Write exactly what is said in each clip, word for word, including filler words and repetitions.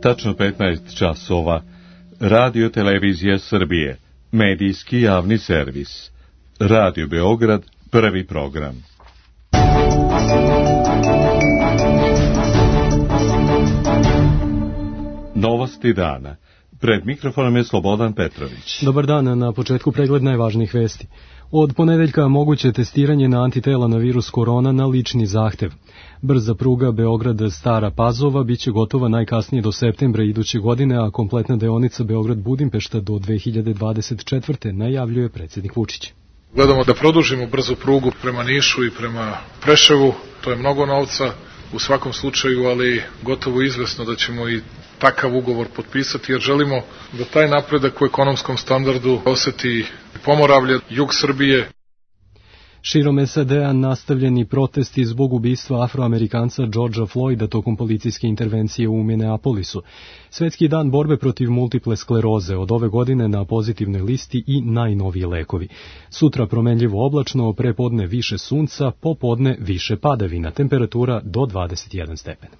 Tačno petnaest časova. Radio Televizija Srbije. Medijski javni servis. Radio Beograd, prvi program. Novosti dana. Pred mikrofonom je Slobodan Petrović. Dobar dan, na početku pregled najvažnijih vesti. Od ponedeljka moguće testiranje na antitela na virus korona na lični zahtev. Brza pruga Beograd-Stara Pazova biće gotova najkasnije do septembra iduće godine, a kompletna deonica Beograd-Budimpešta do dve hiljade dvadeset četvrte. najavljuje predsjednik Vučić. Gledamo da produžimo brzu prugu prema Nišu i prema Preševu, to je mnogo novca u svakom slučaju, ali gotovo izvesno da ćemo i takav ugovor potpisati, jer želimo da taj napredak u ekonomskom standardu oseti Pomoravlje, jug Srbije. Širom S A D-a nastavljeni protesti zbog ubistva afroamerikanca Georgea Floyda tokom policijske intervencije u Minneapolisu. Svetski dan borbe protiv multiple skleroze, od ove godine na pozitivnoj listi i najnoviji lekovi. Sutra promenljivo oblačno, prepodne više sunca, popodne više padavina, temperatura do dvadeset jedan stepen.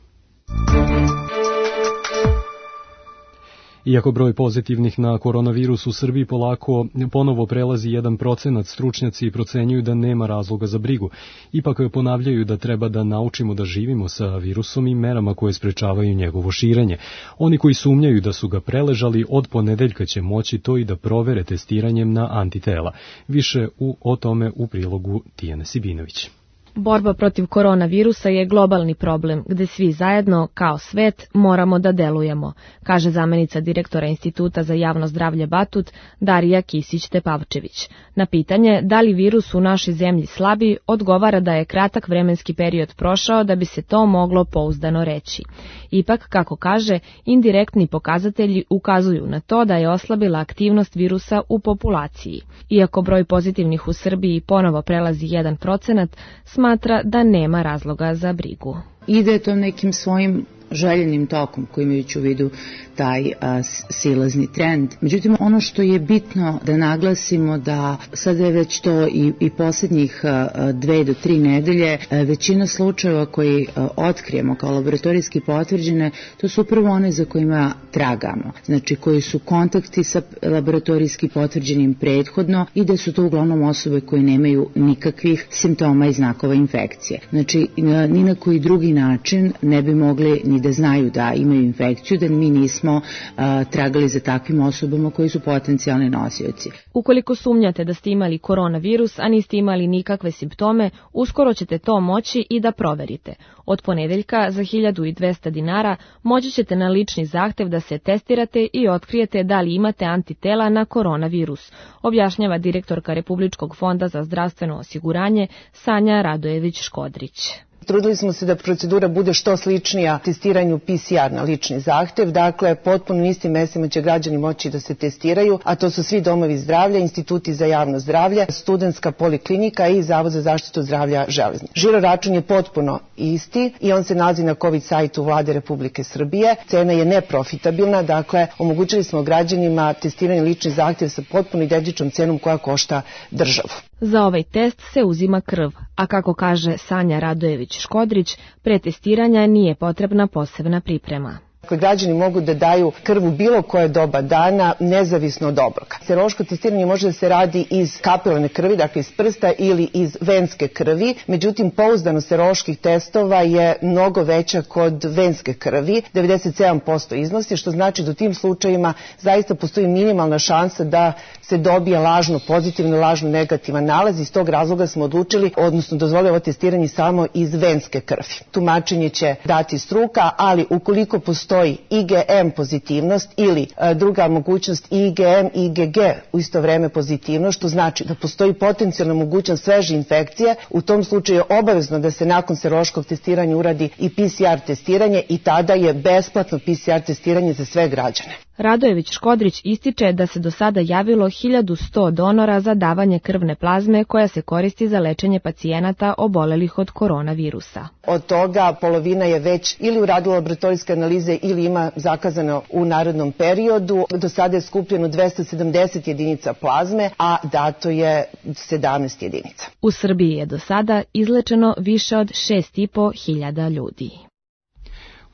Iako broj pozitivnih na koronavirus u Srbiji polako ponovo prelazi jedan procenat, stručnjaci procenjuju da nema razloga za brigu. Ipak ponavljaju da treba da naučimo da živimo sa virusom i merama koje sprečavaju njegovo širenje. Oni koji sumnjaju da su ga preležali, od ponedeljka će moći to i da provere testiranjem na antitela. Više u, o tome u prilogu Tijane Sibinović. Borba protiv koronavirusa je globalni problem, gde svi zajedno, kao svet, moramo da delujemo, kaže zamenica direktora Instituta za javno zdravlje Batut, Darija Kisić-Tepavčević. Na pitanje da li virus u našoj zemlji slabi, odgovara da je kratak vremenski period prošao da bi se to moglo pouzdano reći. Ipak, kako kaže, indirektni pokazatelji ukazuju na to da je oslabila aktivnost virusa u populaciji. Iako broj pozitivnih u Srbiji ponovo prelazi jedan procenat, smatra da nema razloga za brigu. Ide to nekim svojim željenim tokom koji imajući u vidu taj a, silazni trend. Međutim, ono što je bitno da naglasimo da sada je već to i, i posljednjih a, dve do tri nedelje a, većina slučajeva koji a, otkrijemo kao laboratorijski potvrđene, to su upravo one za kojima tragamo. Znači koji su kontakti sa laboratorijski potvrđenim prethodno i da su to uglavnom osobe koje nemaju nikakvih simptoma i znakova infekcije. Znači ni na koji drugi način ne bi mogli ni da znaju da imaju infekciju, da mi nismo a, tragali za takvim osobama koji su potencijalni nosioci. Ukoliko sumnjate da ste imali koronavirus, a niste imali nikakve simptome, uskoro ćete to moći i da proverite. Od ponedeljka za hiljadu dvesta dinara moći ćete na lični zahtev da se testirate i otkrijete da li imate antitela na koronavirus, objašnjava direktorka Republičkog fonda za zdravstveno osiguranje Sanja Radojević-Škodrić. Trudili smo se da procedura bude što sličnija testiranju P C R na lični zahtev, dakle potpuno istim mestima će građani moći da se testiraju, a to su svi domovi zdravlja, instituti za javno zdravlje, studentska poliklinika i Zavod za zaštitu zdravlja Železnice. Žiro račun je potpuno isti i on se nalazi na COVID sajtu Vlade Republike Srbije. Cena je neprofitabilna, dakle omogućili smo građanima testiranje lični zahtev sa potpuno identičnom cenom koja košta državu. Za ovaj test se uzima krv, a kako kaže Sanja Radojević-Škodrić, pre testiranja nije potrebna posebna priprema. Građani mogu da daju krv u bilo koje doba dana, nezavisno od obroka. Serološko testiranje može da se radi iz kapilarne krvi, dakle iz prsta ili iz venske krvi, međutim pouzdanost seroloških testova je mnogo veća kod venske krvi, devedeset sedam posto iznosi, što znači da u tim slučajima zaista postoji minimalna šansa da se dobije lažno pozitivno, lažno negativan nalaz. Iz tog razloga smo odlučili, odnosno dozvolili ovo testiranje samo iz venske krvi. Tumačenje će dati struka, ali ukoliko postoji I G M pozitivnost ili e, druga mogućnost I G M i I G G u isto vreme pozitivnost, što znači da postoji potencijalna mogućnost sveže infekcije, u tom slučaju je obavezno da se nakon serološkog testiranja uradi i P C R testiranje i tada je besplatno P C R testiranje za sve građane. Radojević-Škodrić ističe da se do sada javilo hiljadu sto donora za davanje krvne plazme koja se koristi za lečenje pacijenata obolelih od koronavirusa. Od toga polovina je već ili uradila laboratorijske analize ili ima zakazano u narednom periodu. Do sada je skupljeno dvesta sedamdeset jedinica plazme, a dato je sedamnaest jedinica. U Srbiji je do sada izlečeno više od šest i po hiljada ljudi.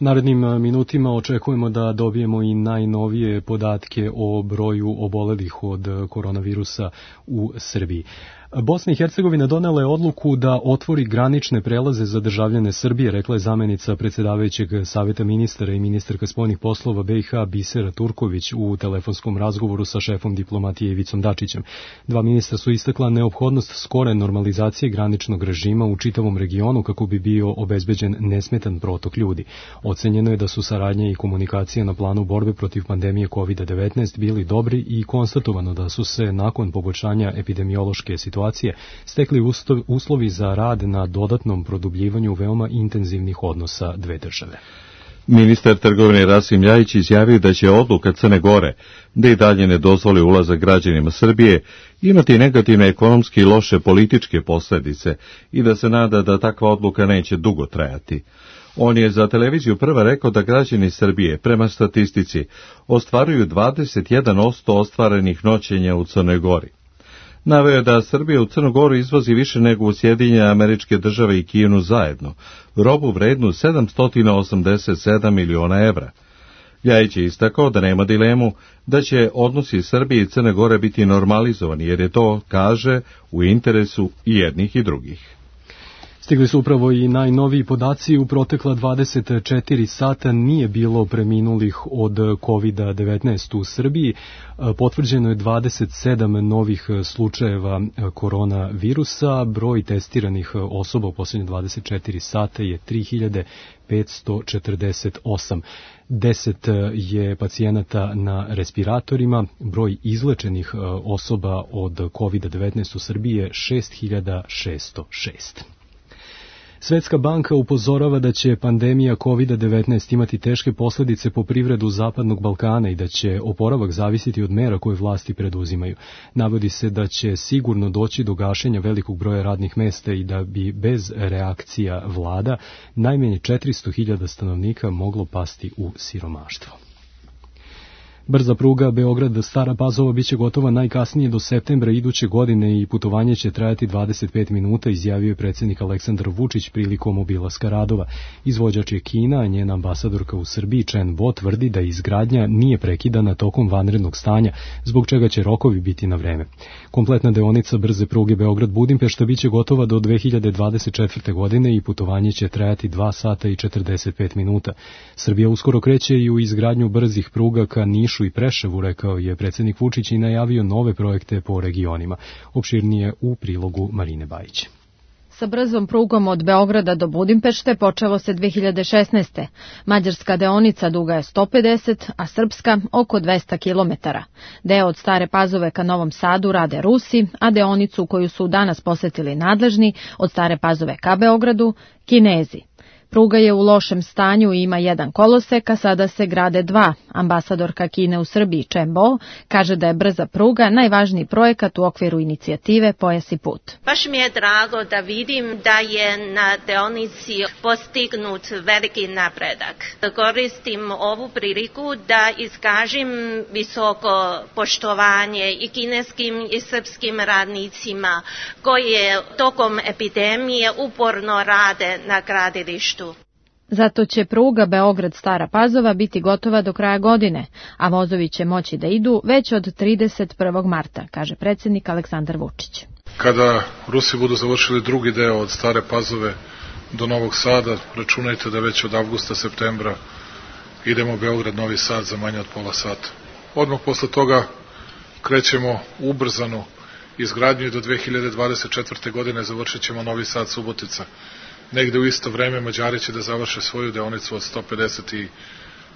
U narednim minutima očekujemo da dobijemo i najnovije podatke o broju obolelih od koronavirusa u Srbiji. Bosna i Hercegovina donela je odluku da otvori granične prelaze za državljane Srbije, rekla je zamenica predsjedavajućeg savjeta ministara i ministarka spoljnih poslova B i H Bisera Turković u telefonskom razgovoru sa šefom diplomatije Ivicom Dačićem. Dva ministra su istakla neophodnost skore normalizacije graničnog režima u čitavom regionu kako bi bio obezbeđen nesmetan protok ljudi. Ocenjeno je da su saradnja i komunikacija na planu borbe protiv pandemije kovid devetnaest bili dobri i konstatovano da su se nakon poboljšanja epidemiološke situacije stekli uslovi za rad na dodatnom produbljivanju veoma intenzivnih odnosa dve države. Ministar trgovine Rasim Ljajić izjavio da će odluka Crne Gore da i dalje ne dozvoli ulazak građanima Srbije imati negativne ekonomske i loše političke posljedice i da se nada da takva odluka neće dugo trajati. On je za televiziju Prva rekao da građani Srbije, prema statistici, ostvaruju dvadeset jedan posto ostvarenih noćenja u Crnoj Gori. Naveo je da Srbija u Crnu Goru izvozi više nego u Sjedinjene Američke Države i Kinu zajedno, robu vrednu sedamsto osamdeset sedam miliona evra. Ljajić je istakao da nema dilemu da će odnosi Srbije i Crne Gore biti normalizovani, jer je to, kaže, u interesu i jednih i drugih. Stigli su upravo i najnoviji podaci. U protekla dvadeset četiri sata nije bilo preminulih od kovid devetnaest u Srbiji. Potvrđeno je dvadeset sedam novih slučajeva koronavirusa. Broj testiranih osoba u posljednje dvadeset četiri sata je tri hiljade petsto četrdeset osam. deset je pacijenata na respiratorima. Broj izlečenih osoba od kovid devetnaest u Srbiji je šest hiljada šesto šest. Svetska banka upozorava da će pandemija kovid devetnaest imati teške posljedice po privredu Zapadnog Balkana i da će oporavak zavisiti od mera koje vlasti preduzimaju. Navodi se da će sigurno doći do gašenja velikog broja radnih mesta i da bi bez reakcija vlada najmanje četiristo hiljada stanovnika moglo pasti u siromaštvo. Brza pruga Beograd-Stara Pazova biće gotova najkasnije do septembra iduće godine i putovanje će trajati dvadeset pet minuta, izjavio je predsjednik Aleksandar Vučić prilikom obilaska radova. Izvođač je Kina, a njena ambasadorka u Srbiji Chen Bo tvrdi da izgradnja nije prekidana tokom vanrednog stanja, zbog čega će rokovi biti na vreme. Kompletna deonica brze pruge Beograd-Budimpešta biće gotova do dve hiljade dvadeset četvrte. godine i putovanje će trajati dva sata i četrdeset pet minuta. Srbija uskoro kreće i u izgradnju brzih pruga ka Nišu i Preševu, rekao je predsjednik Vučić i najavio nove projekte po regionima. Opširnije u prilogu Marine Bajić. Sa brzom prugom od Beograda do Budimpešte počelo se dve hiljade šesnaeste. Mađarska deonica duga je sto pedeset, a srpska oko dvesta kilometara. Deo od Stare Pazove ka Novom Sadu rade Rusi, a deonicu koju su danas posetili nadležni od Stare Pazove ka Beogradu Kinezi. Pruga je u lošem stanju i ima jedan kolosek, a sada se grade dva. Ambasadorka Kine u Srbiji Chen Bo kaže da je brza pruga najvažniji projekat u okviru inicijative Pojas i put. Baš mi je drago da vidim da je na deonici postignut veliki napredak. Koristim ovu priliku da iskažem visoko poštovanje i kineskim i srpskim radnicima koji tokom epidemije uporno rade na gradilištu. Zato će pruga Beograd-Stara Pazova biti gotova do kraja godine, a vozovi će moći da idu već od trideset prvog marta, kaže predsjednik Aleksandar Vučić. Kada Rusi budu završili drugi deo od Stare Pazove do Novog Sada, računajte da već od avgusta, septembra idemo Beograd-Novi Sad za manje od pola sata. Odmah posle toga krećemo ubrzanu izgradnju i do dve hiljade dvadeset četvrte. godine završit ćemo Novi Sad-Subotica. Negde u isto vreme Mađari će da završe svoju deonicu od sto pedeset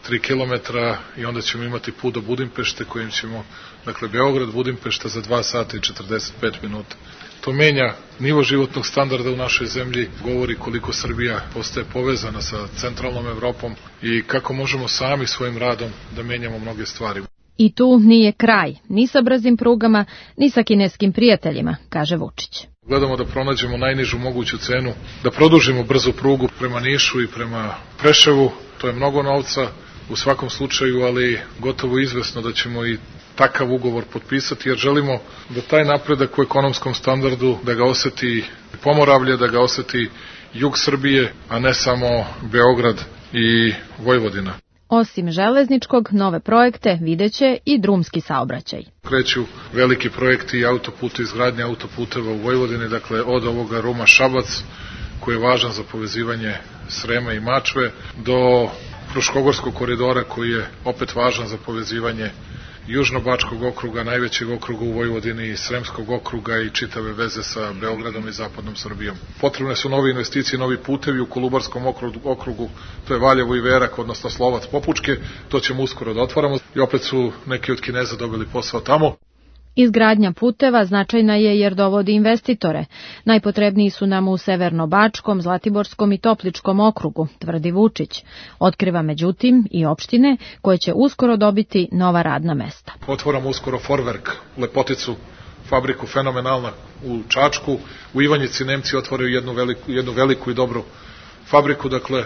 tri kilometra i onda ćemo imati put do Budimpešte kojim ćemo, dakle, Beograd-Budimpešta za dva sata i četrdeset pet minuta. To menja nivo životnog standarda u našoj zemlji, govori koliko Srbija postaje povezana sa centralnom Evropom i kako možemo sami svojim radom da menjamo mnoge stvari. I tu nije kraj, ni sa brzim prugama, ni sa kineskim prijateljima, kaže Vučić. Gledamo da pronađemo najnižu moguću cenu, da produžimo brzu prugu prema Nišu i prema Preševu. To je mnogo novca u svakom slučaju, ali gotovo izvesno da ćemo i takav ugovor potpisati, jer želimo da taj napredak u ekonomskom standardu, da ga oseti Pomoravlje, da ga oseti jug Srbije, a ne samo Beograd i Vojvodina. Osim železničkog, nove projekte videće i drumski saobraćaj. Kreću veliki projekti i autoputa, izgradnje autoputeva u Vojvodini, dakle od ovoga Ruma-Šabac, koji je važan za povezivanje Srema i Mačve, do Fruškogorskog koridora, koji je opet važan za povezivanje Južnobačkog okruga, najvećeg okruga u Vojvodini, Sremskog okruga i čitave veze sa Beogradom i zapadnom Srbijom. Potrebne su nove investicije, novi putevi u Kolubarskom okrugu, to je Valjevo i Verak, odnosno Slovac Popučke, to ćemo uskoro da otvaramo i opet su neki od Kineza dobili posao tamo. Izgradnja puteva značajna je jer dovodi investitore. Najpotrebniji su nam u Severno-Bačkom, Zlatiborskom i Topličkom okrugu, tvrdi Vučić. Otkriva međutim i opštine koje će uskoro dobiti nova radna mesta. Otvaramo uskoro Forwerk, Lepoticu, fabriku fenomenalna u Čačku. U Ivanjici Nemci otvaraju jednu veliku, jednu veliku i dobru fabriku, dakle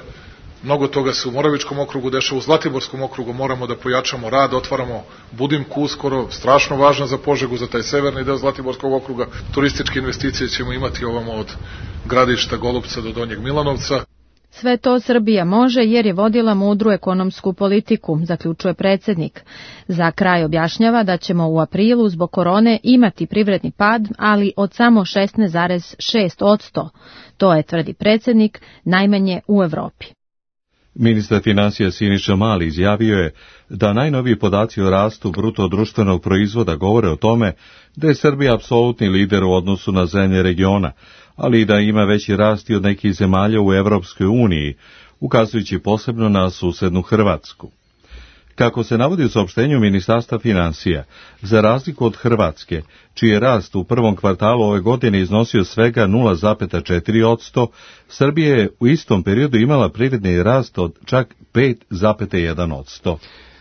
mnogo toga se u Moravičkom okrugu dešava, u Zlatiborskom okrugu moramo da pojačamo rad, otvaramo Budimku uskoro, strašno važno za Požegu, za taj severni deo Zlatiborskog okruga. Turističke investicije ćemo imati ovamo od Gradišta, Golupca do Donjeg Milanovca. Sve to Srbija može jer je vodila mudru ekonomsku politiku, zaključuje predsjednik. Za kraj objašnjava da ćemo u aprilu zbog korone imati privredni pad, ali od samo šesnaest zarez šest posto. To je, tvrdi predsjednik, najmanje u Evropi. Ministar financija Siniša Mali izjavio je da najnoviji podaci o rastu bruto društvenog proizvoda govore o tome da je Srbija apsolutni lider u odnosu na zemlje regiona, ali i da ima veći rast i od nekih zemalja u Evropskoj uniji, ukazujući posebno na susednu Hrvatsku. Kako se navodi u saopštenju Ministarstva financija, za razliku od Hrvatske, čiji je rast u prvom kvartalu ove godine iznosio svega nula zarez četiri posto, Srbija je u istom periodu imala privredni rast od čak pet zarez jedan posto.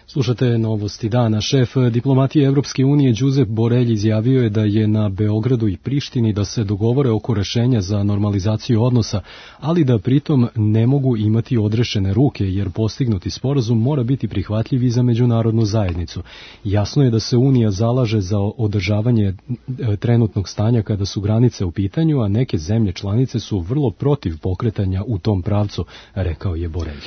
Slušate novosti dana. Šef diplomatije Evropske unije Josep Borrell izjavio je da je na Beogradu i Prištini da se dogovore oko rešenja za normalizaciju odnosa, ali da pritom ne mogu imati odrešene ruke jer postignuti sporazum mora biti prihvatljiv i za međunarodnu zajednicu. Jasno je da se Unija zalaže za održavanje trenutnog stanja kada su granice u pitanju, a neke zemlje članice su vrlo protiv pokretanja u tom pravcu, rekao je Borrell.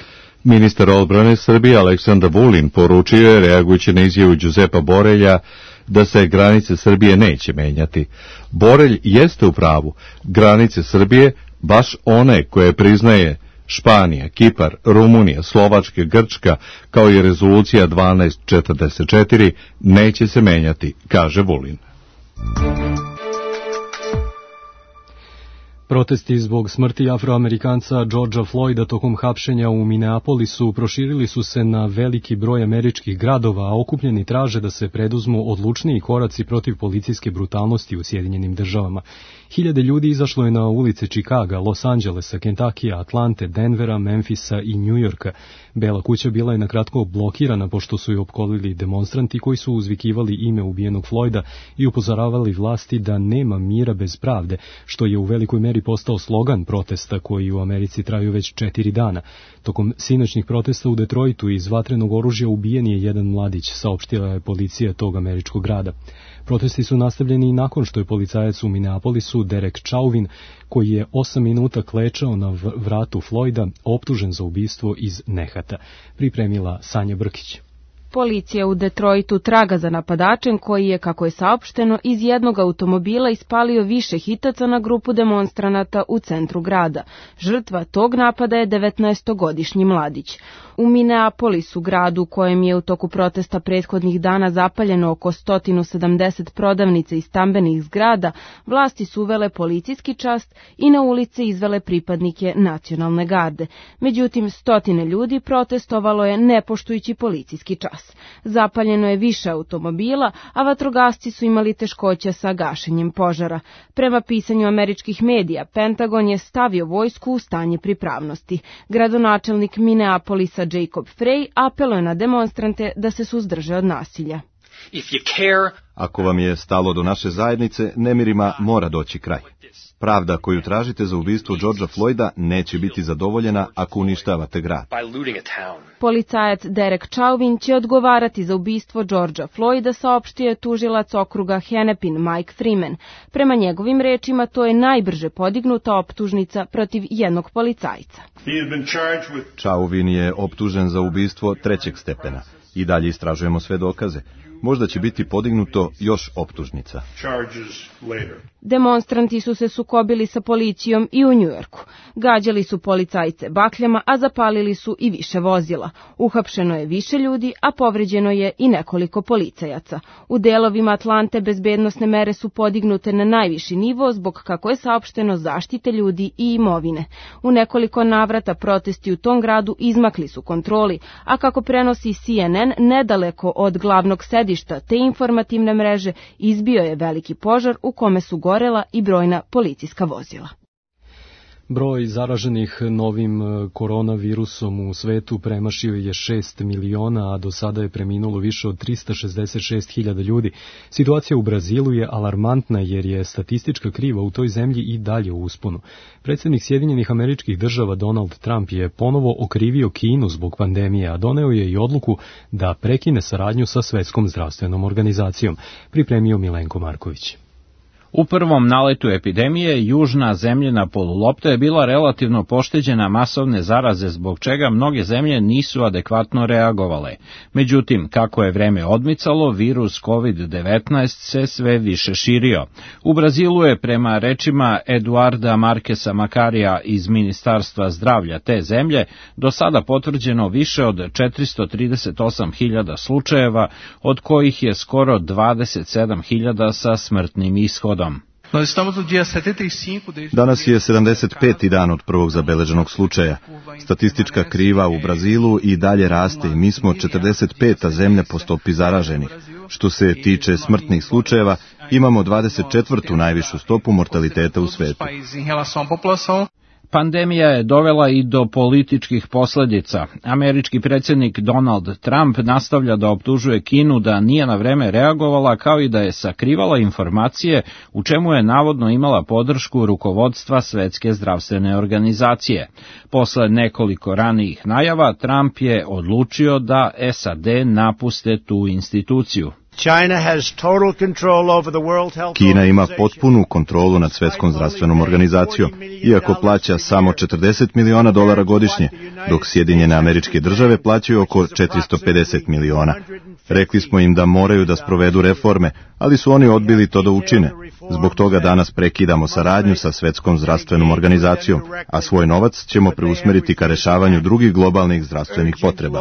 Ministar odbrane Srbije Aleksandar Vulin poručio je, reagujući na izjavu Josepa Borelja, da se granice Srbije neće menjati. Borelj jeste u pravu. Granice Srbije, baš one koje priznaje Španija, Kipar, Rumunija, Slovačka, Grčka, kao i rezolucija dvanaest četrdeset četiri, neće se menjati, kaže Vulin. Protesti zbog smrti Afroamerikanca Georgea Floyda tokom hapšenja u Minneapolisu proširili su se na veliki broj američkih gradova, a okupljeni traže da se preduzmu odlučniji koraci protiv policijske brutalnosti u Sjedinjenim državama. Hiljade ljudi izašlo je na ulice Čikaga, Los Angelesa, Kentakija, Atlante, Denvera, Memfisa i Njujorka. Bela kuća bila je nakratko blokirana pošto su je opkolili demonstranti koji su uzvikivali ime ubijenog Floyda i upozoravali vlasti da nema mira bez pravde, što je u velikoj meri postao slogan protesta koji u Americi traju već četiri dana. Tokom sinoćnih protesta u Detroitu iz vatrenog oružja ubijen je jedan mladić, saopštila je policija tog američkog grada. Protesti su nastavljeni i nakon što je policajac u Minneapolisu Derek Chauvin, koji je osam minuta klečao na vratu Floyda, optužen za ubistvo iz nehata. Pripremila Sanja Brkić. Policija u Detroitu traga za napadačem koji je, kako je saopšteno, iz jednog automobila ispalio više hitaca na grupu demonstranata u centru grada. Žrtva tog napada je devetnaestogodišnji mladić. U Minneapolisu, gradu u kojem je u toku protesta prethodnih dana zapaljeno oko sto sedamdeset prodavnica i stambenih zgrada, vlasti su uvele policijski čas i na ulice izvele pripadnike nacionalne garde. Međutim, stotine ljudi protestovalo je ne poštujući policijski čas. Zapaljeno je više automobila, a vatrogasci su imali teškoća sa gašenjem požara. Prema pisanju američkih medija, Pentagon je stavio vojsku u stanje pripravnosti. Gradonačelnik Minneapolisa Jacob Frey apeluje na demonstrante da se suzdrže od nasilja. Ako vam je stalo do naše zajednice, nemirima mora doći kraj. Pravda koju tražite za ubistvo Georgea Floyda neće biti zadovoljena ako uništavate grad. Policajac Derek Chauvin će odgovarati za ubistvo Georgea Floyda, saopštio je tužilac okruga Hennepin Mike Freeman. Prema njegovim rečima, to je najbrže podignuta optužnica protiv jednog policajca. Chauvin je optužen za ubistvo trećeg stepena. I dalje istražujemo sve dokaze. Možda će biti podignuto još optužnica. Demonstranti su se sukobili sa policijom i u Njujorku. Gađali su policajce bakljama, a zapalili su i više vozila. Uhapšeno je više ljudi, a povređeno je i nekoliko policajaca. U delovima Atlante bezbednosne mere su podignute na najviši nivo zbog, kako je saopšteno, zaštite ljudi i imovine. U nekoliko navrata protesti u tom gradu izmakli su kontroli, a kako prenosi C N N, nedaleko od glavnog sedišta te informativne mreže izbio je veliki požar u kome su gorela i brojna policijska vozila. Broj zaraženih novim koronavirusom u svetu premašio je šest miliona, a do sada je preminulo više od trista šezdeset šest hiljada ljudi. Situacija u Brazilu je alarmantna jer je statistička kriva u toj zemlji i dalje u usponu. Predsjednik Sjedinjenih Američkih Država Donald Trump je ponovo okrivio Kinu zbog pandemije, a doneo je i odluku da prekine saradnju sa Svetskom zdravstvenom organizacijom, pripremio Milenko Marković. U prvom naletu epidemije, južna zemljina polulopta je bila relativno pošteđena masovne zaraze, zbog čega mnoge zemlje nisu adekvatno reagovale. Međutim, kako je vreme odmicalo, virus kovid devetnaest se sve više širio. U Brazilu je, prema rečima Eduarda Marquesa Makarija iz Ministarstva zdravlja te zemlje, do sada potvrđeno više od četiristo trideset osam hiljada slučajeva, od kojih je skoro dvadeset sedam hiljada sa smrtnim ishodom. Danas je sedamdeset peti dan od prvog zabeleženog slučaja. Statistička kriva u Brazilu i dalje raste i mi smo četrdeset peta zemlja po stopi zaraženih. Što se tiče smrtnih slučajeva, imamo dvadeset četvrtu najvišu stopu mortaliteta u svetu. Pandemija je dovela i do političkih posljedica. Američki predsjednik Donald Trump nastavlja da optužuje Kinu da nije na vreme reagovala, kao i da je sakrivala informacije, u čemu je navodno imala podršku rukovodstva Svetske zdravstvene organizacije. Posle nekoliko ranijih najava, Trump je odlučio da S A D napuste tu instituciju. Kina ima potpunu kontrolu nad Svetskom zdravstvenom organizacijom, iako plaća samo četrdeset miliona dolara godišnje, dok Sjedinjene Američke Države plaćaju oko četiristo pedeset miliona. Rekli smo im da moraju da sprovedu reforme, ali su oni odbili to da učine. Zbog toga danas prekidamo saradnju sa Svetskom zdravstvenom organizacijom, a svoj novac ćemo preusmeriti ka rešavanju drugih globalnih zdravstvenih potreba.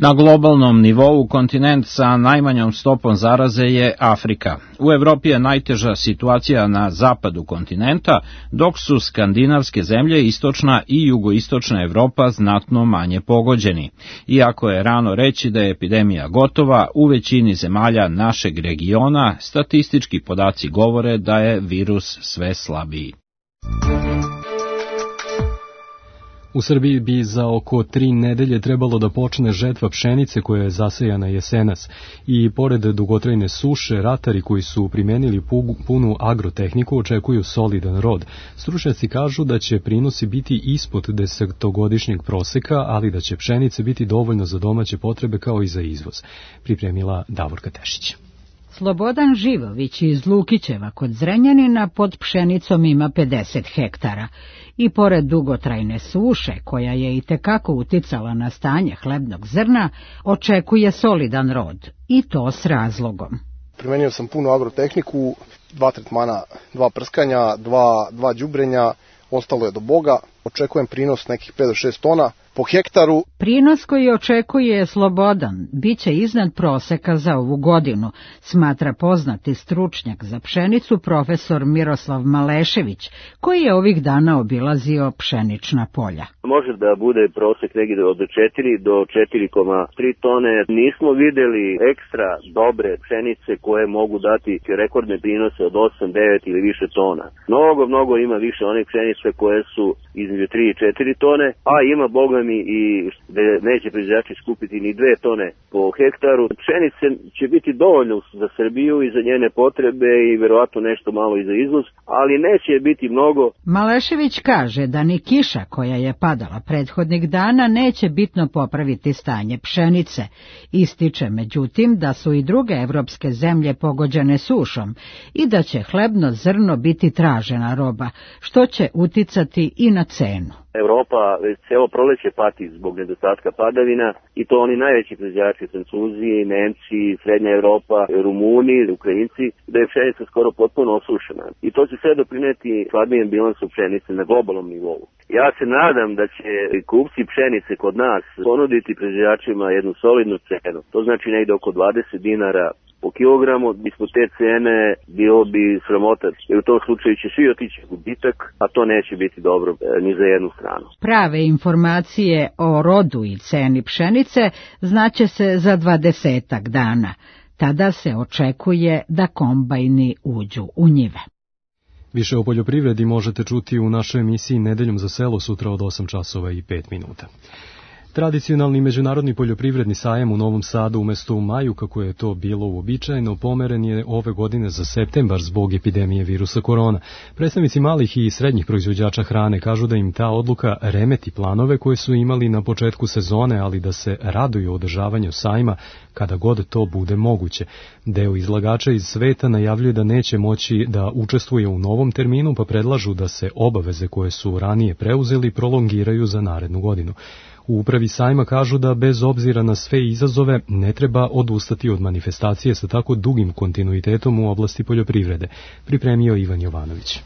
Na globalnom nivou kontinent sa najmanjom stopom zaraze je Afrika. U Evropi je najteža situacija na zapadu kontinenta, dok su skandinavske zemlje, istočna i jugoistočna Evropa znatno manje pogođeni. Iako je rano reći da je epidemija gotova, u većini zemalja našeg regiona statistički podaci govore da je virus sve slabiji. U Srbiji bi za oko tri nedelje trebalo da počne žetva pšenice koja je zasejana jesenas i pored dugotrajne suše, ratari koji su primenili punu agrotehniku očekuju solidan rod. Stručnjaci kažu da će prinosi biti ispod desetogodišnjeg proseka, ali da će pšenice biti dovoljno za domaće potrebe kao i za izvoz, pripremila Davorka Tešić. Slobodan Živović iz Lukićeva kod Zrenjanina pod pšenicom ima pedeset hektara i pored dugotrajne suše, koja je i tekako uticala na stanje hlebnog zrna, očekuje solidan rod, i to s razlogom. Primenio sam punu agrotehniku, dva tretmana, dva prskanja, dva, dva đubrenja, ostalo je do Boga. Očekujem prinos nekih pet do šest tona po hektaru. Prinos koji očekuje je slobodan, bit će iznad proseka za ovu godinu, smatra poznati stručnjak za pšenicu profesor Miroslav Malešević, koji je ovih dana obilazio pšenična polja. Može da bude prosek negdje od četiri do četiri zarez tri tone. Nismo videli ekstra dobre pšenice koje mogu dati rekordne prinose od osam, devet ili više tona. Mnogo, mnogo ima više onih pšenice koje su između tri i četiri tone, a ima, boga programi i da neće proizvođači skupiti ni dve tone po hektaru. Pšenice će biti dovoljno za Srbiju i za njene potrebe i verovatno nešto malo i za izvoz, ali neće biti mnogo. Malešević kaže da ni kiša koja je padala prethodnih dana neće bitno popraviti stanje pšenice. Ističe međutim da su i druge evropske zemlje pogođene sušom i da će hlebno zrno biti tražena roba, što će uticati i na cenu. Evropa celo proleće pati zbog nedostatka padavina i to oni najveći proizvođači, Francuzi, Nemci, Srednja Evropa, Rumuni, Ukrajinci, da je pšenica skoro potpuno osušena. I to će sve doprineti hladnijem bilansu pšenice na globalnom nivou. Ja se nadam da će kupci pšenice kod nas ponuditi proizvođačima jednu solidnu cenu. To znači negde oko dvadeset dinara po kilogramu. Ispod te cene bilo bi sramota, jer u tom slučaju će svi otići gubitak, a to neće biti dobro ni za jednu stranu. Prave informacije o rodu i ceni pšenice znaće se za dvadesetak dana. Tada se očekuje da kombajni uđu u njive. Više o poljoprivredi možete čuti u našoj emisiji Nedeljom za selo sutra od osam časova i pet minuta. Tradicionalni međunarodni poljoprivredni sajam u Novom Sadu umesto u maju, kako je to bilo uobičajeno, pomeren je ove godine za septembar zbog epidemije virusa korona. Predstavnici malih i srednjih proizvođača hrane kažu da im ta odluka remeti planove koje su imali na početku sezone, ali da se raduju održavanju sajma kada god to bude moguće. Deo izlagača iz sveta najavljuje da neće moći da učestvuje u novom terminu, pa predlažu da se obaveze koje su ranije preuzeli prolongiraju za narednu godinu. U upravi sajma kažu da bez obzira na sve izazove ne treba odustati od manifestacije sa tako dugim kontinuitetom u oblasti poljoprivrede, pripremio Ivan Jovanović.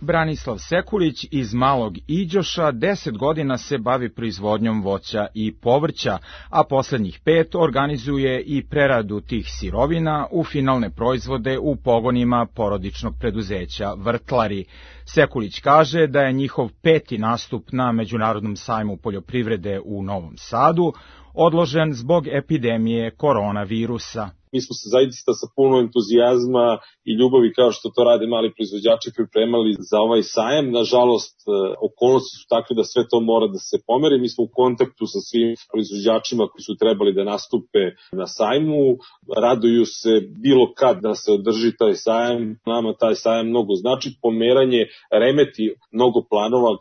Branislav Sekulić iz Malog Iđoša deset godina se bavi proizvodnjom voća i povrća, a poslednjih pet organizuje i preradu tih sirovina u finalne proizvode u pogonima porodičnog preduzeća Vrtlari. Sekulić kaže da je njihov peti nastup na Međunarodnom sajmu poljoprivrede u Novom Sadu odložen zbog epidemije koronavirusa. Mi smo se zaista sa puno entuzijazma i ljubavi, kao što to rade mali proizvođači, pripremali za ovaj sajam. Nažalost, okolnosti su takve da sve to mora da se pomeri. Mi smo u kontaktu sa svim proizvođačima koji su trebali da nastupe na sajmu. Raduju se bilo kad da se održi taj sajam. Nama taj sajam mnogo znači. Pomeranje remeti mnogo planova.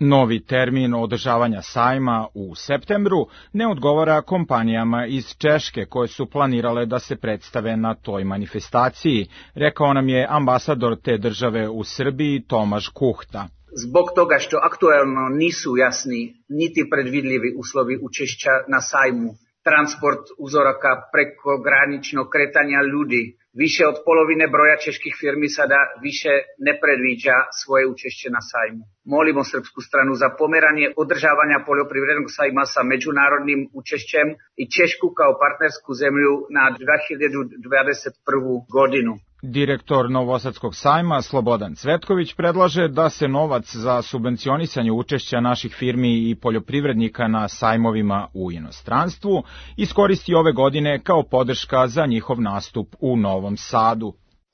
Novi termin održavanja sajma u septembru ne odgovara kompanijama iz Češke koje su planirale da se predstave na toj manifestaciji, rekao nam je ambasador te države u Srbiji Tomaš Kuhta. Zbog toga što aktuelno nisu jasni niti predvidljivi uslovi učešća na sajmu, transport uzoraka preko graničnog kretanja ljudi, više od polovine broja čeških firmi sada više ne predviđa svoje učešće na sajmu. Molimo srpsku stranu za pomeranje održavanja poljoprivrednog sajma sa međunarodnim učešćem i Češku kao partnersku zemlju na dve hiljade dvadeset prvu godinu. Direktor Novosadskog sajma Slobodan Cvetković predlaže da se novac za subvencionisanje učešća naših firmi i poljoprivrednika na sajmovima u inostranstvu iskoristi ove godine kao podrška za njihov nastup u Novom Sadu.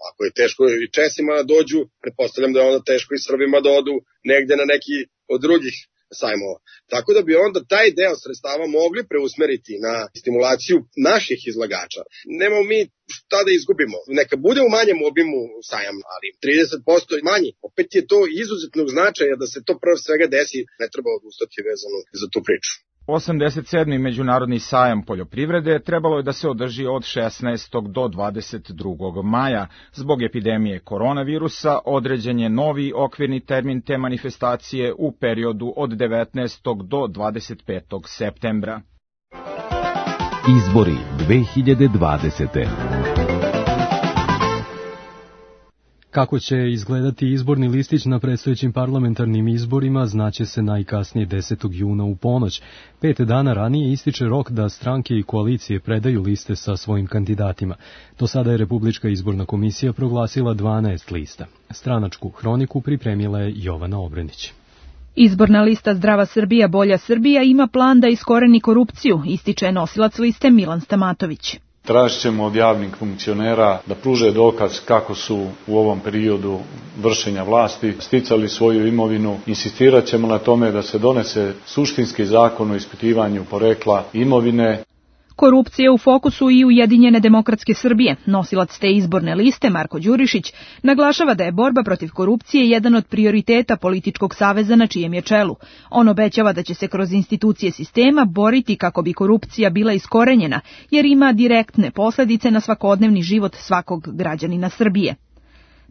Ako je teško i Česima da dođu, pretpostavljam da je onda teško i Srbima da odu negde na neki od drugih sajmova. Tako da bi onda taj deo sredstava mogli preusmeriti na stimulaciju naših izlagača. Nemamo mi šta da izgubimo. Neka bude u manjem obimu sajam, ali trideset posto manji. Opet je to izuzetnog značaja da se to prvo svega desi, ne treba odustati vezano za tu priču. osamdeset sedmi Međunarodni sajam poljoprivrede trebalo je da se održi od šesnaestog do dvadeset drugog maja. Zbog epidemije koronavirusa određen je novi okvirni termin te manifestacije u periodu od devetnaestog do dvadeset petog septembra. Izbori dve hiljade dvadesete. Kako će izgledati izborni listić na predstojećim parlamentarnim izborima znaće se najkasnije desetog juna u ponoć. Pet dana ranije ističe rok da stranke i koalicije predaju liste sa svojim kandidatima. Do sada je Republička izborna komisija proglasila dvanaest lista. Stranačku hroniku pripremila je Jovana Obrenić. Izborna lista Zdrava Srbija, Bolja Srbija ima plan da iskoreni korupciju, ističe nosilac liste Milan Stamatović. Tražit ćemo od javnih funkcionera da pruže dokaz kako su u ovom periodu vršenja vlasti sticali svoju imovinu. Insistirat ćemo na tome da se donese suštinski zakon o ispitivanju porekla imovine. Korupcija u fokusu i Ujedinjene demokratske Srbije. Nosilac te izborne liste, Marko Đurišić, naglašava da je borba protiv korupcije jedan od prioriteta političkog saveza na čijem je čelu. On obećava da će se kroz institucije sistema boriti kako bi korupcija bila iskorenjena, jer ima direktne posledice na svakodnevni život svakog građanina Srbije.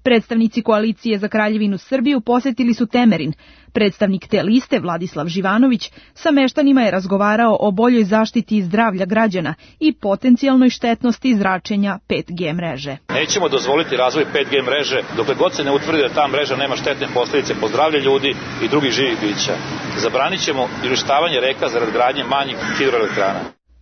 Predstavnici koalicije za Kraljevinu Srbiju posetili su Temerin. Predstavnik te liste, Vladislav Živanović, sa meštanima je razgovarao o boljoj zaštiti zdravlja građana i potencijalnoj štetnosti zračenja pet G mreže. Nećemo dozvoliti razvoj pet G mreže dokle god se ne utvrdi da ta mreža nema štetne posljedice po zdravlje ljudi i drugih živih bića. Zabranit ćemo uništavanje reka zarad gradnje manjih hidroelektrana.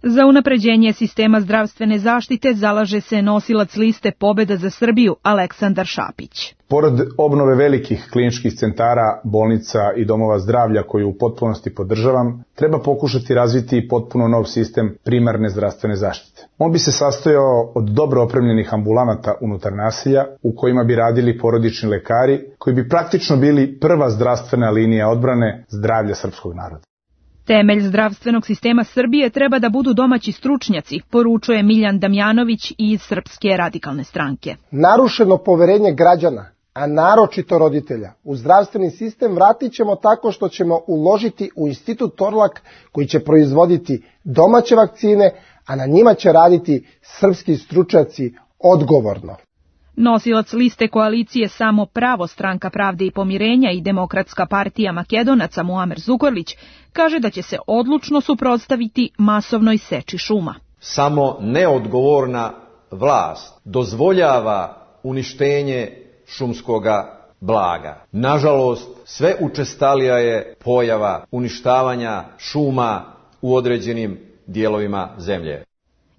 Za unapređenje sistema zdravstvene zaštite zalaže se nosilac liste Pobeda za Srbiju Aleksandar Šapić. Pored obnove velikih kliničkih centara, bolnica i domova zdravlja koju u potpunosti podržavam, treba pokušati razviti potpuno nov sistem primarne zdravstvene zaštite. On bi se sastojao od dobro opremljenih ambulanata unutar naselja u kojima bi radili porodični lekari koji bi praktično bili prva zdravstvena linija odbrane zdravlja srpskog naroda. Temelj zdravstvenog sistema Srbije treba da budu domaći stručnjaci, poručuje Miljan Damjanović iz Srpske radikalne stranke. Narušeno poverenje građana, a naročito roditelja, u zdravstveni sistem vratit ćemo tako što ćemo uložiti u Institut Torlak koji će proizvoditi domaće vakcine, a na njima će raditi srpski stručnjaci odgovorno. Nosilac liste koalicije Samo pravo, Stranka pravde i pomirenja i Demokratska partija Makedonaca Muamer Zukorlić kaže da će se odlučno suprotstaviti masovnoj seči šuma. Samo neodgovorna vlast dozvoljava uništenje šumskoga blaga. Nažalost, sve učestalija je pojava uništavanja šuma u određenim dijelovima zemlje.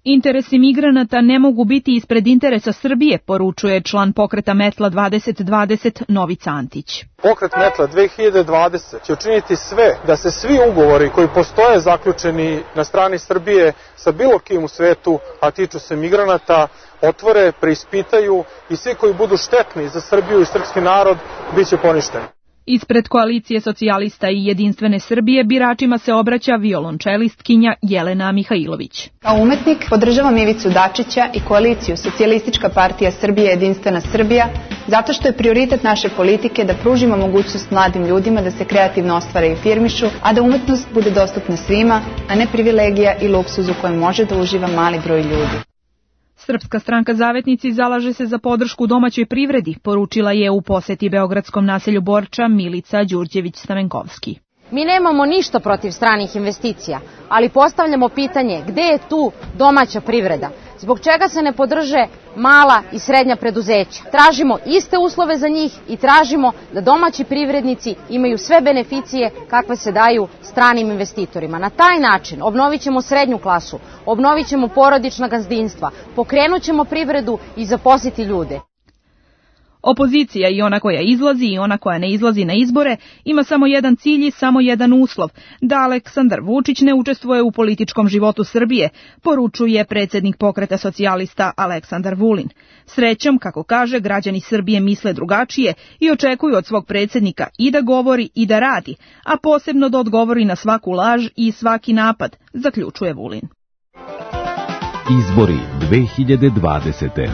Interesi migranata ne mogu biti ispred interesa Srbije, poručuje član pokreta Metla dvadeset dvadeset Novica Antić. Pokret Metla dve hiljade dvadeset će učiniti sve da se svi ugovori koji postoje zaključeni na strani Srbije sa bilo kim u svetu, a tiču se migranata, otvore, preispitaju i svi koji budu štetni za Srbiju i srpski narod bit će poništeni. Ispred koalicije socijalista i Jedinstvene Srbije biračima se obraća violončelistkinja Jelena Mihajlović. Kao umetnik podržavam Ivicu Dačića i koaliciju Socijalistička partija Srbije Jedinstvena Srbija zato što je prioritet naše politike da pružimo mogućnost mladim ljudima da se kreativno ostvare i firmišu, a da umetnost bude dostupna svima, a ne privilegija i luksuz u kojem može da uživa mali broj ljudi. Srpska stranka Zavetnici zalaže se za podršku domaćoj privredi, poručila je u poseti beogradskom naselju Borča Milica Đurđević-Stamenkovski. Mi nemamo ništa protiv stranih investicija, ali postavljamo pitanje gde je tu domaća privreda? Zbog čega se ne podrže mala i srednja preduzeća? Tražimo iste uslove za njih i tražimo da domaći privrednici imaju sve beneficije kakve se daju stranim investitorima. Na taj način obnovit ćemo srednju klasu, obnovit ćemo porodična gazdinstva, pokrenut ćemo privredu i zaposliti ljude. Opozicija, i ona koja izlazi i ona koja ne izlazi na izbore, ima samo jedan cilj i samo jedan uslov, da Aleksandar Vučić ne učestvuje u političkom životu Srbije, poručuje predsjednik pokreta socijalista Aleksandar Vulin. Srećom, kako kaže, građani Srbije misle drugačije i očekuju od svog predsjednika i da govori i da radi, a posebno da odgovori na svaku laž i svaki napad, zaključuje Vulin. Izbori dve hiljade dvadesete.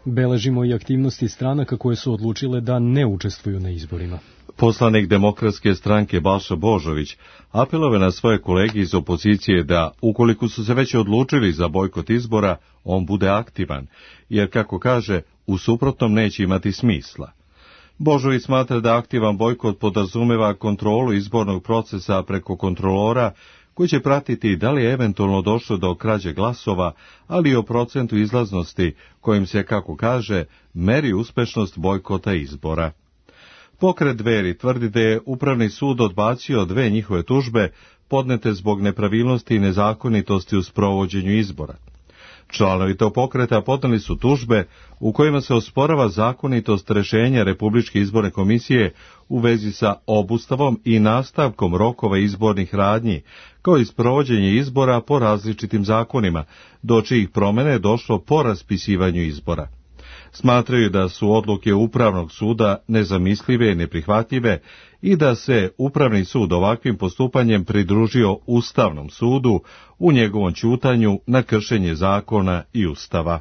Beležimo i aktivnosti stranaka koje su odlučile da ne učestvuju na izborima. Poslanik Demokratske stranke Balša Božović apelove na svoje kolege iz opozicije da, ukoliko su se već odlučili za bojkot izbora, on bude aktivan, jer, kako kaže, u suprotnom neće imati smisla. Božović smatra da aktivan bojkot podrazumeva kontrolu izbornog procesa preko kontrolora, koji će pratiti da li je eventualno došlo do krađe glasova, ali i o procentu izlaznosti kojim se, kako kaže, meri uspešnost bojkota izbora. Pokret Dveri tvrdi da je Upravni sud odbacio dve njihove tužbe podnete zbog nepravilnosti i nezakonitosti u sprovođenju izbora. Članovi tog pokreta podneli su tužbe u kojima se osporava zakonitost rešenja Republičke izborne komisije u vezi sa obustavom i nastavkom rokova izbornih radnji, kao i sprovođenje izbora po različitim zakonima, do čijih promene je došlo po raspisivanju izbora. Smatraju da su odluke Upravnog suda nezamislive i neprihvatljive i da se Upravni sud ovakvim postupanjem pridružio Ustavnom sudu u njegovom ćutanju na kršenje zakona i Ustava.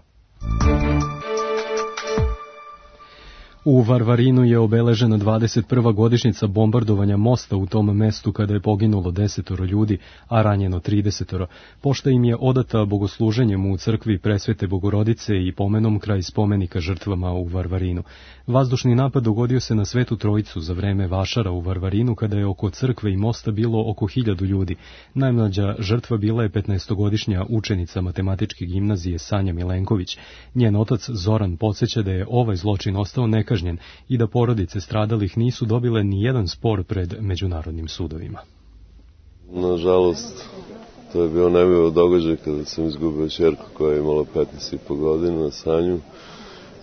U Varvarinu je obeležena dvadeset prva godišnjica bombardovanja mosta u tom mestu kada je poginulo desetoro ljudi, a ranjeno tridesetoro. Pošta im je odata bogosluženjem u crkvi Presvete Bogorodice i pomenom kraj spomenika žrtvama u Varvarinu. Vazdušni napad dogodio se na Svetu Trojicu za vreme vašara u Varvarinu kada je oko crkve i mosta bilo oko hiljadu ljudi. Najmlađa žrtva bila je petnaestogodišnja učenica matematičke gimnazije Sanja Milenković. Njen otac Zoran podsjeća da je ovaj zločin ostao nekažnjen i da porodice stradalih nisu dobile ni jedan spor pred međunarodnim sudovima. Nažalost, to je bio nemilo događaj kada sam izgubio ćerku koja je imala petnaest i po godina, Sanju,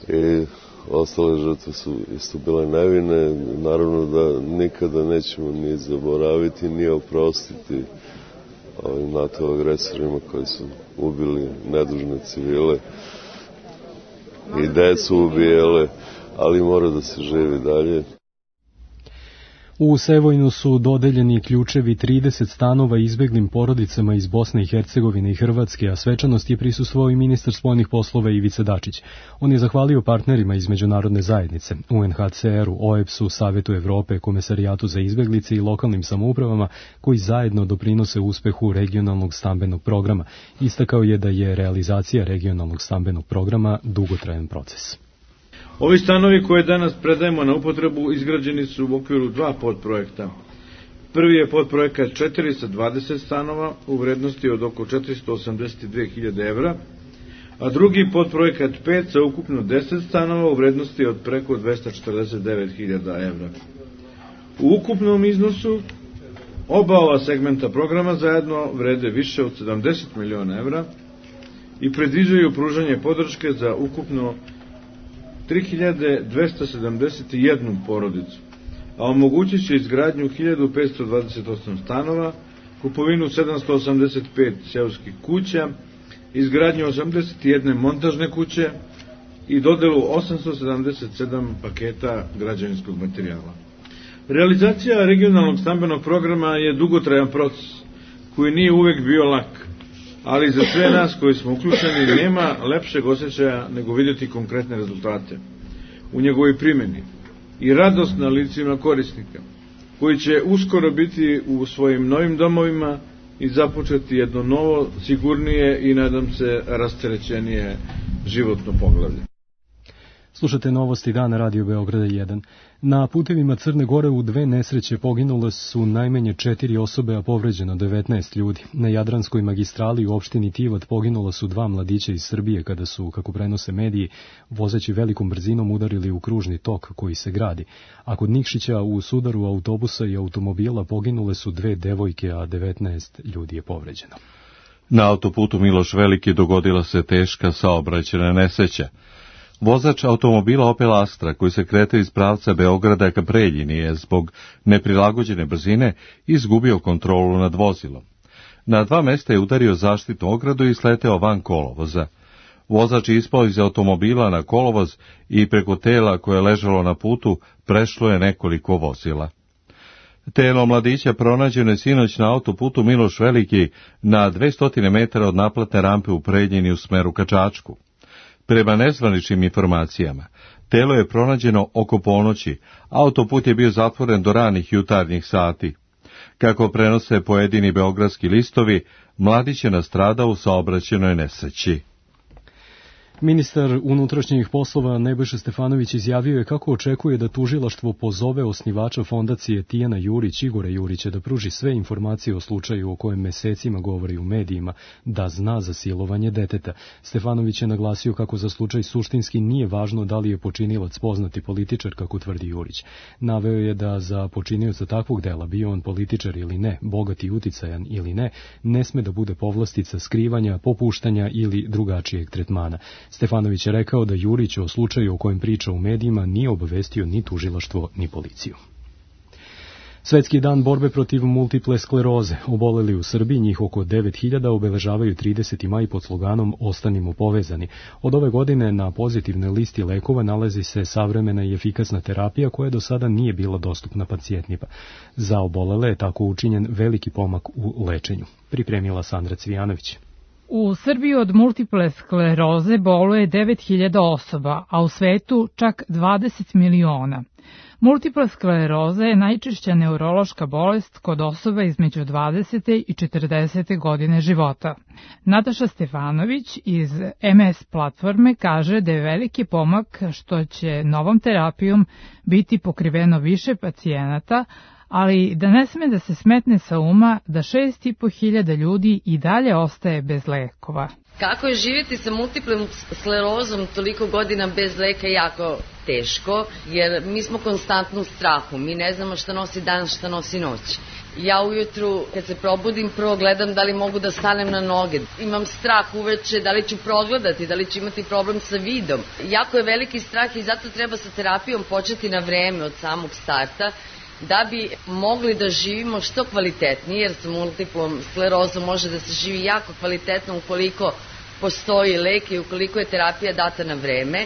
i ostale žrtve su isto bile nevine. Naravno da nikada nećemo ni zaboraviti, ni oprostiti ovim NATO agresorima koji su ubili nedužne civile i decu ubijele, ali mora da se živi dalje. U Sevojnu su dodeljeni ključevi trideset stanova izbeglim porodicama iz Bosne i Hercegovine i Hrvatske, a svečanost je prisustvovao i ministar spoljnih poslova Ivica Dačić. On je zahvalio partnerima iz međunarodne zajednice, U N H C R-u, O E B S-u, Savetu Evrope, Komesarijatu za izbeglice i lokalnim samoupravama koji zajedno doprinose uspehu regionalnog stambenog programa. Istakao je da je realizacija regionalnog stambenog programa dugotrajan proces. Ovi stanovi koje danas predajemo na upotrebu izgrađeni su u okviru dva podprojekta. Prvi je podprojekat četiri sa dvadeset stanova u vrednosti od oko četiristo osamdeset dve hiljade evra, a drugi podprojekat pet sa ukupno deset stanova u vrednosti od preko dvesta četrdeset devet hiljada evra. U ukupnom iznosu oba ova segmenta programa zajedno vrede više od sedamdeset miliona evra i predviđaju pružanje podrške za ukupno tri hiljade dvesta sedamdeset jednu porodicu, a omogućit će izgradnju hiljadu petsto dvadeset osam stanova, kupovinu sedamsto osamdeset pet seoskih kuća, izgradnju osamdeset jedne montažne kuće i dodelu osamsto sedamdeset sedam paketa građevinskog materijala. Realizacija regionalnog stambenog programa je dugotrajan proces, koji nije uvek bio lak, ali za sve nas koji smo uključeni nema lepšeg osjećaja nego vidjeti konkretne rezultate u njegovoj primjeni i radost na licima korisnika, koji će uskoro biti u svojim novim domovima i započeti jedno novo, sigurnije i, nadam se, rasterećenije životno poglavlje. Slušate novosti dana Radio Beograda jedan. Na putevima Crne Gore u dve nesreće poginule su najmanje četiri osobe, a povređeno devetnaest ljudi. Na Jadranskoj magistrali u opštini Tivat poginula su dva mladića iz Srbije kada su, kako prenose mediji, vozeći velikom brzinom udarili u kružni tok koji se gradi. A kod Nikšića u sudaru autobusa i automobila poginule su dve devojke, a devetnaest ljudi je povređeno. Na autoputu Miloš Veliki dogodila se teška saobraćajna nesreća. Vozač automobila Opel Astra, koji se kretao iz pravca Beograda ka Preljini, je zbog neprilagođene brzine izgubio kontrolu nad vozilom. Na dva mesta je udario zaštitnu ogradu i sleteo van kolovoza. Vozač je ispao iz automobila na kolovoz i preko tela koje je ležalo na putu prešlo je nekoliko vozila. Telo mladića pronađeno je sinoć na autoputu Miloš Veliki na dvesta metara od naplatne rampe u Preljini u smeru ka Čačku. Prema nezvaničnim informacijama, telo je pronađeno oko ponoći, autoput je bio zatvoren do ranih jutarnjih sati. Kako prenose pojedini beogradski listovi, mladić je nastradao u saobraćajnoj nesreći. Ministar unutrašnjih poslova Nebojša Stefanović izjavio je kako očekuje da tužilaštvo pozove osnivača fondacije Tijana Jurić, Igora Jurića, da pruži sve informacije o slučaju o kojem mesecima govori u medijima, da zna za silovanje deteta. Stefanović je naglasio kako za slučaj suštinski nije važno da li je počinilac poznati političar, kako tvrdi Jurić. Naveo je da za počinioca takvog dela, bio on političar ili ne, bogat i uticajan ili ne, ne sme da bude povlastica skrivanja, popuštanja ili drugačijeg tretmana. Stefanović je rekao da Jurić o slučaju o kojem priča u medijima nije obavestio ni tužilaštvo ni policiju. Svetski dan borbe protiv multiple skleroze. Oboleli u Srbiji, njih oko devet hiljada, obeležavaju trideseti maj pod sloganom Ostanimo povezani. Od ove godine na pozitivnoj listi lekova nalazi se savremena i efikasna terapija koja do sada nije bila dostupna pacijentima. Za obolele je tako učinjen veliki pomak u lečenju. Pripremila Sandra Cvijanović. U Srbiji od multiple skleroze boluje devet hiljada osoba, a u svetu čak dvadeset miliona. Multipla skleroza je najčešća neurološka bolest kod osoba između dvadesete i četrdesete godine života. Nataša Stefanović iz em es platforme kaže da je veliki pomak što će novom terapijom biti pokriveno više pacijenata, ali da ne sme da se smetne sa uma da šest i po hiljada ljudi i dalje ostaje bez lekova. Kako je živjeti sa multiplom sklerozom toliko godina bez leka jako teško, jer mi smo konstantno u strahu, mi ne znamo šta nosi dan, šta nosi noć. Ja ujutru kad se probudim prvo gledam da li mogu da stanem na noge, imam strah uveče da li ću progledati, da li ću imati problem sa vidom. Jako je veliki strah i zato treba sa terapijom početi na vreme od samog starta, da bi mogli da živimo što kvalitetnije, jer sa multiplom sklerozom može da se živi jako kvalitetno ukoliko postoji lek i ukoliko je terapija data na vreme,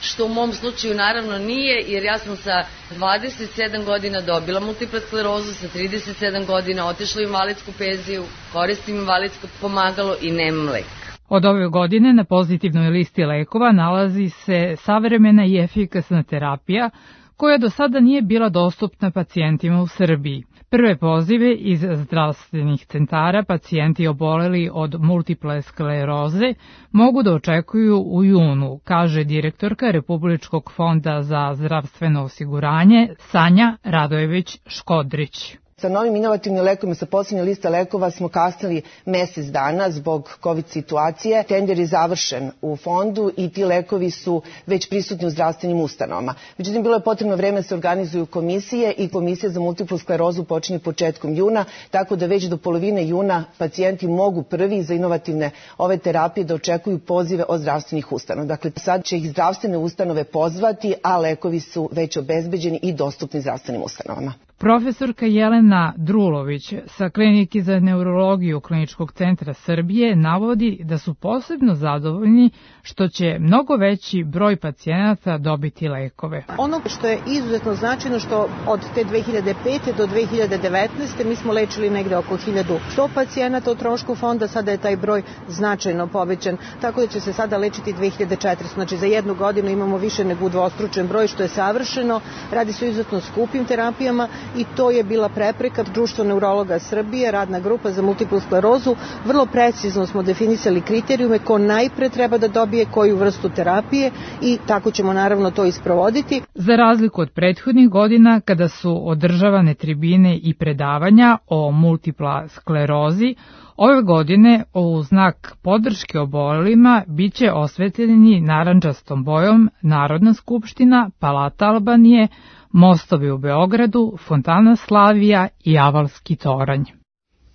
što u mom slučaju naravno nije, jer ja sam sa dvadeset sedam godina dobila multiplu sklerozu, sa trideset sedam godina otišla u invalidsku penziju, koristim invalidsko pomagalo i nemam lek. Od ove godine na pozitivnoj listi lekova nalazi se savremena i efikasna terapija, koja do sada nije bila dostupna pacijentima u Srbiji. Prve pozive iz zdravstvenih centara pacijenti oboleli od multiple skleroze mogu da očekuju u junu, kaže direktorka Republičkog fonda za zdravstveno osiguranje Sanja Radojević-Škodrić. Sa novim inovativnim lekovima, sa posljednje liste lekova smo kasnili mesec dana zbog COVID situacije. Tender je završen u fondu i ti lekovi su već prisutni u zdravstvenim ustanovama. Međutim, bilo je potrebno vreme da se organizuju komisije i komisija za multiplu sklerozu počinje početkom juna, tako da već do polovine juna pacijenti mogu prvi za inovativne ove terapije da očekuju pozive od zdravstvenih ustanova. Dakle, sad će ih zdravstvene ustanove pozvati, a lekovi su već obezbeđeni i dostupni zdravstvenim ustanovama. Profesorka Jelena Drulović sa Klinike za neurologiju Kliničkog centra Srbije navodi da su posebno zadovoljni što će mnogo veći broj pacijenata dobiti lekove. Ono što je izuzetno značajno što od te dve hiljade pete do dve hiljade devetnaeste mi smo lečili negde oko hiljadu sto pacijenata o trošku fonda, sada je taj broj značajno povećan, tako da će se sada lečiti dve hiljade četiristo. Znači za jednu godinu imamo više nego udvostručen broj, što je savršeno. Radi se o izuzetno skupim terapijama i to je bila prepreka Društva neurologa Srbije, radna grupa za multiplu sklerozu. Vrlo precizno smo definisali kriterijume ko najpre treba da dobije koju vrstu terapije i tako ćemo naravno to isprovoditi. Za razliku od prethodnih godina kada su održavane tribine i predavanja o multipla sklerozi, ove godine u znak podrške obolelima biće osvetljeni narandžastom bojom Narodna skupština, Palata Albanije, mostovi u Beogradu, Fontana Slavija i Avalski toranj.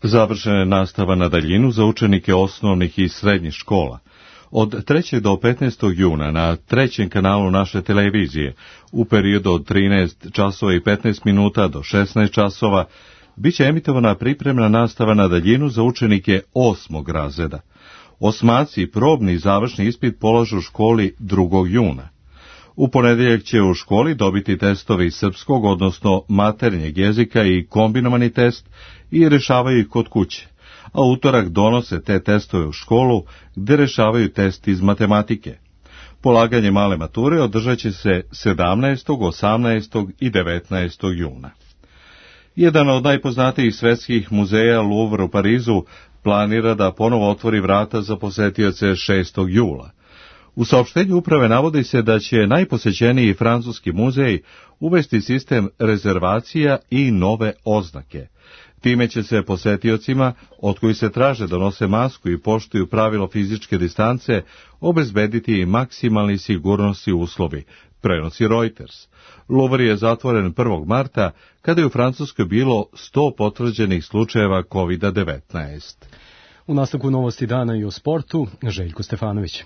Završena je nastava na daljinu za učenike osnovnih i srednjih škola. Od trećeg do petnaestog juna na trećem kanalu naše televizije u periodu od trinaest časova i petnaest minuta do šesnaest časova biće emitovana pripremna nastava na daljinu za učenike osmog razreda. Osmaci probni i završni ispit polažu u školi drugog juna. U ponedeljak će u školi dobiti testovi srpskog, odnosno maternjeg jezika i kombinovani test i rešavaju ih kod kuće, a utorak donose te testove u školu gde rešavaju test iz matematike. Polaganje male mature održat će se sedamnaestog, osamnaestog i devetnaestog juna. Jedan od najpoznatijih svetskih muzeja, Louvre u Parizu, planira da ponovo otvori vrata za posetioce šestog jula. U saopštenju uprave navodi se da će najposećeniji francuski muzej uvesti sistem rezervacija i nove oznake. Time će se posetiocima, od kojih se traže da nose masku i poštuju pravilo fizičke distance, obezbediti maksimalni sigurnosni uslovi, prenosi Reuters. Louvre je zatvoren prvog marta, kada je u Francuskoj bilo sto potvrđenih slučajeva kovid devetnaest. U nastavku novosti dana i o sportu, Željko Stefanović.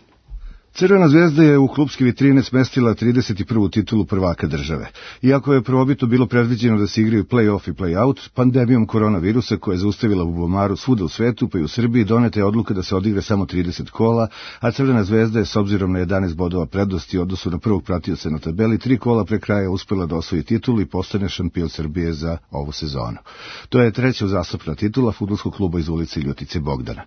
Crvena zvezda je u klubske vitrine smestila trideset prvu titulu prvaka države. Iako je prvobitno bilo predviđeno da se igraju play-off i play-out, pandemijom koronavirusa koja je zaustavila bubomaru svuda u svetu, pa i u Srbiji, doneta je odluka da se odigra samo trideset kola, a Crvena zvezda je s obzirom na jedanaest bodova prednosti u odnosu na prvog pratioca na tabeli tri kola pre kraja uspela da osvoji titulu i postane šampion Srbije za ovu sezonu. To je treća uzastopna titula fudbalskog kluba iz ulice Ljutice Bogdana.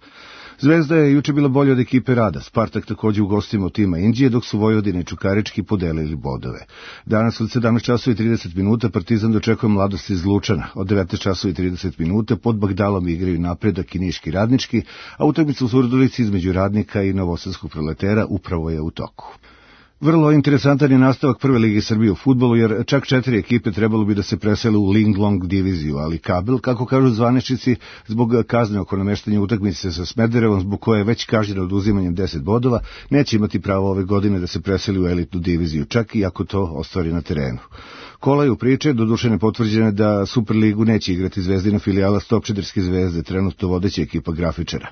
Zvezda je juče bila bolja od ekipe Rada, Spartak takođe u gostima od tima Indije, dok su Vojvodine i Čukarički podelili bodove. Danas od sedamnaest časova i trideset minuta Partizan dočekuje Mladost iz Lučana, od devetnaest časova i trideset minuta pod Bagdalom igraju Napredak i Niški Radnički, a utakmica u Surdulici između Radnika i Novosadskog Proletera upravo je u toku. Vrlo interesantan je nastavak prve lige Srbije u fudbalu, jer čak četiri ekipe trebalo bi da se presele u Linglong diviziju, ali Kabel, kako kažu zvaničnici, zbog kazne oko nameštanja utakmice sa Smederevom, zbog koje je već kažnjeno oduzimanjem deset bodova, neće imati pravo ove godine da se preseli u elitnu diviziju, čak i ako to ostvari na terenu. Kolaju priče, doduše nepotvrđene da Superligu neće igrati Zvezdina filijala Stopčiderske zvezde, trenutno vodeća ekipa grafičara.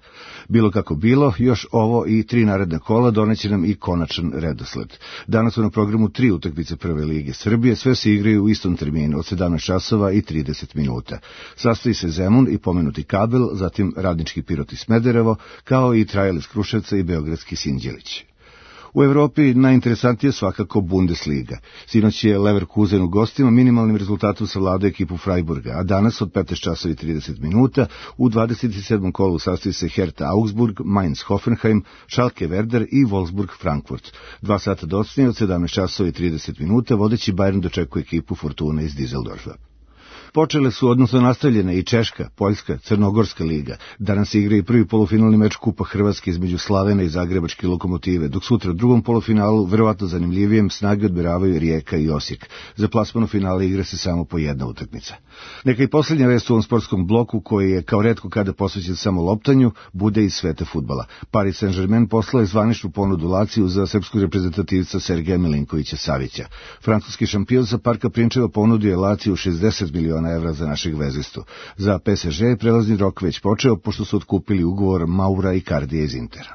Bilo kako bilo, još ovo i tri naredne kola doneće nam i konačan redosled. Danas su na programu tri utakmice prve lige Srbije, sve se igraju u istom terminu od sedamnaest časova i trideset minuta. Sastoji se Zemun i pomenuti Kabel, zatim Radnički Pirot i Smederevo, kao i Trajal iz Kruševca i Beogradski Sinđelić. U Evropi najinteresantije svakako Bundesliga. Sinoć je Leverkusen u gostima minimalnim rezultatom savladao ekipu Freiburga, a danas od petnaest časova i trideset minuta u dvadeset sedmom kolu sastoji se Hertha Augsburg, Mainz Hoffenheim, Schalke Werder i Wolfsburg Frankfurt. Dva sata docnije od sedamnaest časova i trideset minuta vodeći Bayern dočekuje ekipu Fortuna iz Düsseldorfa. Počele su, odnosno nastavljene i Češka, Poljska, Crnogorska liga. Danas se igra i prvi polufinalni meč Kupa Hrvatske između Slavena i Zagrebačke Lokomotive, dok sutra u drugom polufinalu, verovatno zanimljivijem, snage odmeravaju Rijeka i Osijek. Za plasmano finale igra se samo po jedna utakmica. Neka i posljednja vest u ovom sportskom bloku, koji je kao retko kada posvećen samo loptanju, bude iz sveta fudbala. Paris Saint-Germain poslao je zvaničnu ponudu Laciju za srpskog reprezentativca Sergeja Milinkovića Savića. Francuski šampion sa Parka Prinčeva ponudio je Laciju šezdeset miliona evra za našeg vezistu. Za P S G je prelazni rok već počeo, pošto su otkupili ugovor Maura i Kardija iz Intera.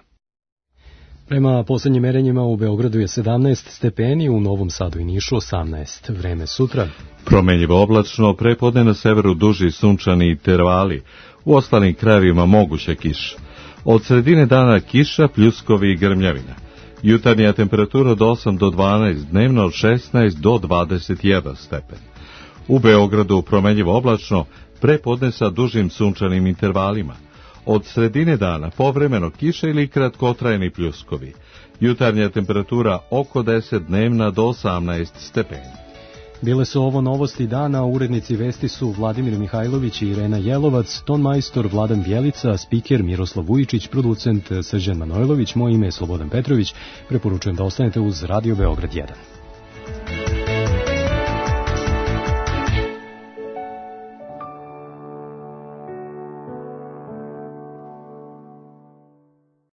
Prema poslednjim merenjima u Beogradu je sedamnaest stepeni, u Novom Sadu i Nišu osamnaest. Vreme sutra. Promenjivo oblačno, prepodne na severu duži sunčani intervali, u ostalim krajevima moguća kiša. Od sredine dana kiša, pljuskovi i grmljavina. Jutarnja temperatura od osam do dvanaest, dnevno od šesnaest do dvadeset jedan stepen. U Beogradu promenjivo oblačno, prepodne sa dužim sunčanim intervalima. Od sredine dana povremeno kiša ili kratkotrajni pljuskovi. Jutarnja temperatura oko deset, dnevna do osamnaest stepeni. Bile su ovo novosti dana, urednici vesti su Vladimir Mihajlović i Irena Jelovac, ton majstor Vladan Bjelica, spiker Miroslav Vujičić, producent Srđan Manojlović, moje ime je Slobodan Petrović, preporučujem da ostanete uz Radio Beograd jedan.